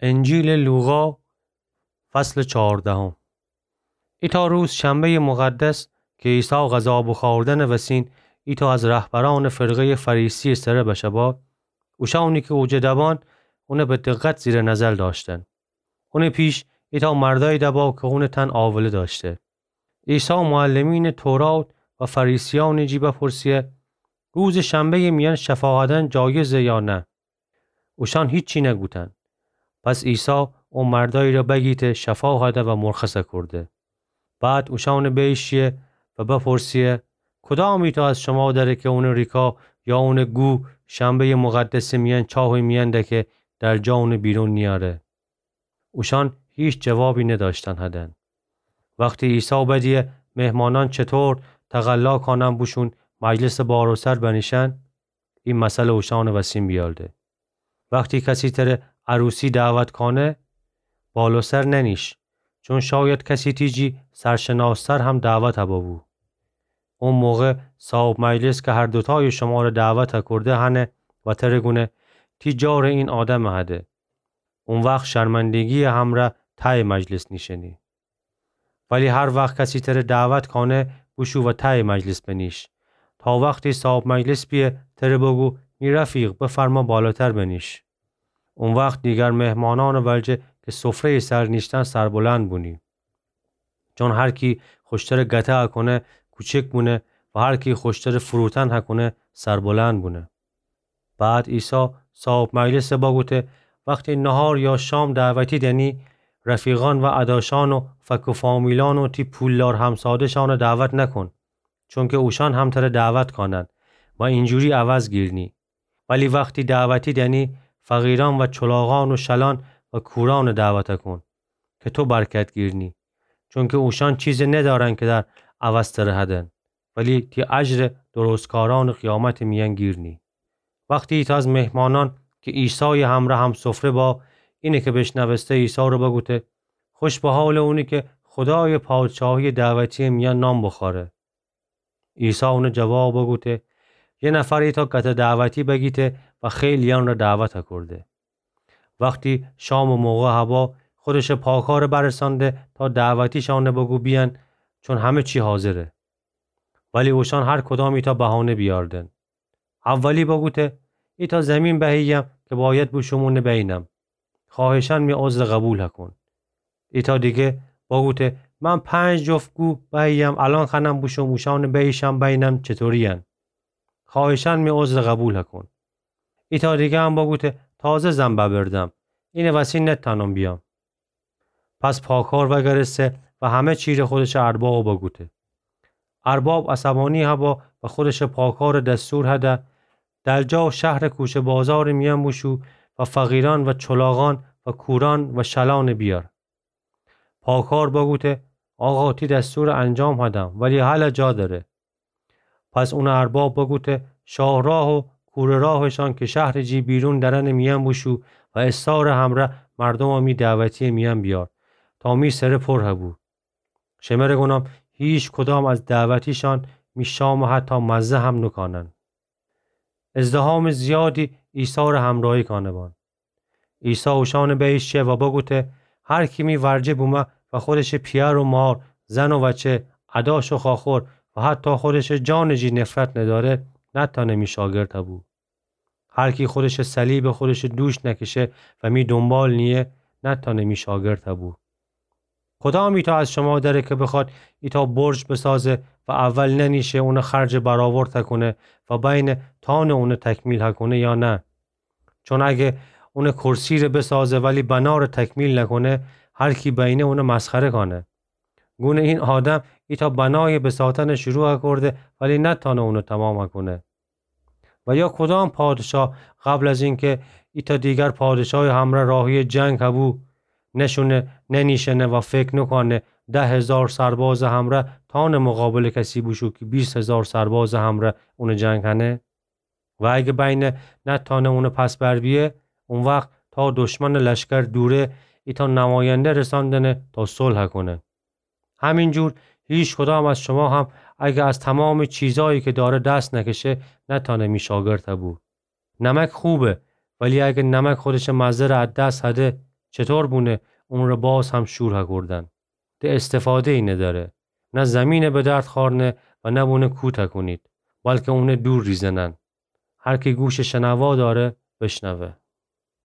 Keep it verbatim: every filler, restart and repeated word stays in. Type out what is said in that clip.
انجیلٚ لوقا، فصلٚ چهاردهم. ایتأ روز شنبه‌یٚ مقدس کی عیسی غذا بوخوردنٚ وسین ایتأ از رهبرأنٚ فرقه‌یٚ فریسی‌یٚ سره بشه با، اوشأنی کی اوجه دبأن اونَ به دقت زیرٚ نظر دأشتن. اونٚ پیش ایتأ مردأیی دبا کی اونٚ تن آوله دأشته. عیسی معلمینٚ تورات و فریسیأنٚ جی بپرسه: روزٚ شنبه‌یٚ میأن شفا هدن جایزه یا نه؟ اوشأن هیچی نگوتن. پس عیسی او مردأیی را بگیته شفا هده و مرخص کوده. بعد اوشأنَ بییشه و بپرسه: کدام ایتأ از شما دره کی اونٚ ریکا یا اونٚ گو شنبه‌یٚ مقدسٚ میأن چاهٚ میأن دکه، درجا اونَ بیرون نیأره؟ اوشأن هیچ جوابی ندأشتن هدن. وختی عیسی بدیه مهمانأن چطور تقلا کانن بوشون مجلسٚ بال‌سر بنیشن، ای مثلَ اوشأنٚ وسین بیارده: وختی کسی تره عروسی دعوت کانه، بال‌سر ننیش، چون شاید کسی تی جی سرشناس‌تر هم دعوت ببو. او موقع صاحب مجلس کی هر دوتایٚ شمارَ دعوت کوده هنه و تره گونه: تی جارٚ این آدمَ هده. او وخت شرمندگی‌یٚ همرأ تأیٚ مجلس نیشینی. ولی هر وخت کسی تره دعوت کانه، بوشو و تأیٚ مجلس بنیش، تا وختی صاحب مجلس بیه تره بگو: می رفیق، بفرما بالاتر بنیش. او وخت دیگر مهمانأنٚ ولجه کی سفره‌یٚ سر نیشتن سربلند بونی. چون هر کی خوشتره گته هکونه کوچک بونه و هر کی خوشتره فروتن هکونه سربلند بونه. بعد عیسی صاحب مجلسَ بگوته: وختی نهار یا شام دعوتی دنی، رفیقأن و ادأشأن و فک و فامیلأن و تی پولدار همساده‌شأنَ دعوت نکون، چونکی اوشأن هم تره دعوت کانن و اینجوری عوض گیرنی. ولی وختی دعوتی دنی، فقیرأن و چلاغأن و شلأن و کورأنَ دعوت کون کی تو برکت گیرنی، چونکی اوشأن چیزی ندأرن کی در عوض تره هدن، ولی تی اجرَ درستکارأنٚ قیامتٚ میأن گیرنی. وختی ایتأ از مهمانأن کی عیسایٚ همرأ همسفره با، اینه کی بیشنوسته عیسی را بگوته: خوش به حالٚ اونی کی خودایٚ پادشاهیٚ دعوتی‌یٚ میأن نان بوخوره. عیسی اونَ جواب بگوته: یه نفر ایتأ گته دعوتی بگیته و خیلی‌یأن را دعوت کوده. وختی شامٚ موقع هبا، خودشٚ پاکارَ برسانده تا دعوتی‌شأنَ بگو بیأن، چون همه چی حاضره. ولی اوشأن هر کدام ایتأ بهانه بیأردن. اولی بگوته: ایتأ زمین بهییم کی باید بوشوم اونَ بینم. خواهشاً می عذرَ قبول هکون. ایتأ دیگه بگوته: من پنج جفت گو بهییم، الأن خوأنم بوشوم اوشأنَ بیشم بینم چطوری‌یأن. خواهشاً می عذرَ قبول هکون. ایتأ دیگه هم بگوته: تازه زن ببردم، اینٚ وسی نتأنم بیام. پس پاکار وأگرسته و همه چیره خودشٚ اربابَ بگوته. ارباب عصبانی هبا و خودشٚ پاکارَ دستور هده: در جا شهرٚ کوچه بازارٚ میأن بوشو و فقیرأن و چلاغأن و کورأن و شلأنَ بیأر. پاکار بگوته: آقا، تی دستورَ انجام هدم، ولی هلأ جا دأره. پس اونٚ ارباب بگوته: شاهراه و کوره‌راهشأن کی شهرٚ جی بیرون درنٚ میأن بوشو و استارٚ همرأ مردومَ می دعوتی‌یٚ میأن بیأر، تا می سره پر هبو. شمره گونم هیچ کدام از دعوتی‌شأن می شامَ حتی مزه هم نوکانن. ازدحامٚ زیادی عیسی ره همراهی کانه بان. عیسی اوشأنٚ بییش شه و بگوته: هر کی می ورجه بومه و خودشٚ پیأر و مار، زن و وچه، ادأش و خواخور و حتی خودشٚ جانٚ جی نفرت ندأره، نتأنه می شاگرد بو. هر کی خودشٚ صلیبَ خودشٚ دوش نکشه و می دونبال نییه، نتأنه می شاگرد بو. کدام ایتأ از شما دأره کی بخوأد ایتأ برج بسازه و اول ننیشه اونٚ خرجَ برآورد کونه و بأینه تأنه اونَ تکمیل کونه یا نه؟ چون اگه اونٚ کرسی‌ره بسازه ولی بنارَ تکمیل نکونه، هر کی بأینه اونَ مسخره کانه. گونه این آدم ایتأ بنایَ بساتنَ شروع کرده ولی نتأنه اونَ تمام کونه. و یا کدام پادشاه قبل از اینکه ایتأ دیگر پادشایٚ همرأ راهی‌یٚ جنگ هبو، نشونه، ننیشنه و فکر نوکانه ده هزار سربازٚ همرأ تأنه مقابلٚ کسی بوشو کی بیست هزار سربازٚ همرأ اونٚ جنگ کنه؟ و اگه بأینه نتأنه اونٚ پس بر بیه، او وخت تا دشمنٚ لشکر دوره، ایتأ نماینده رساندنه تا صلح کونه. همینجور هیچ کدام از شما هم اگه از تمامٚ چیزایی کی دأره دس نکشه، نتأنه می شاگرد بو. نمک خوبه، ولی اگه نمک خودشٚ مزه‌ره از دس هده، چطور بونه اونٚ ره باز هم شور هکوردن؟ ده استفاده‌یی ندأره. نه زیمینَ به درد خأرنه و نه بونه کوه تکونید، بلکه اونَ دور ریزنن. هر کی گوشٚ شنوا دأره، بشنوه.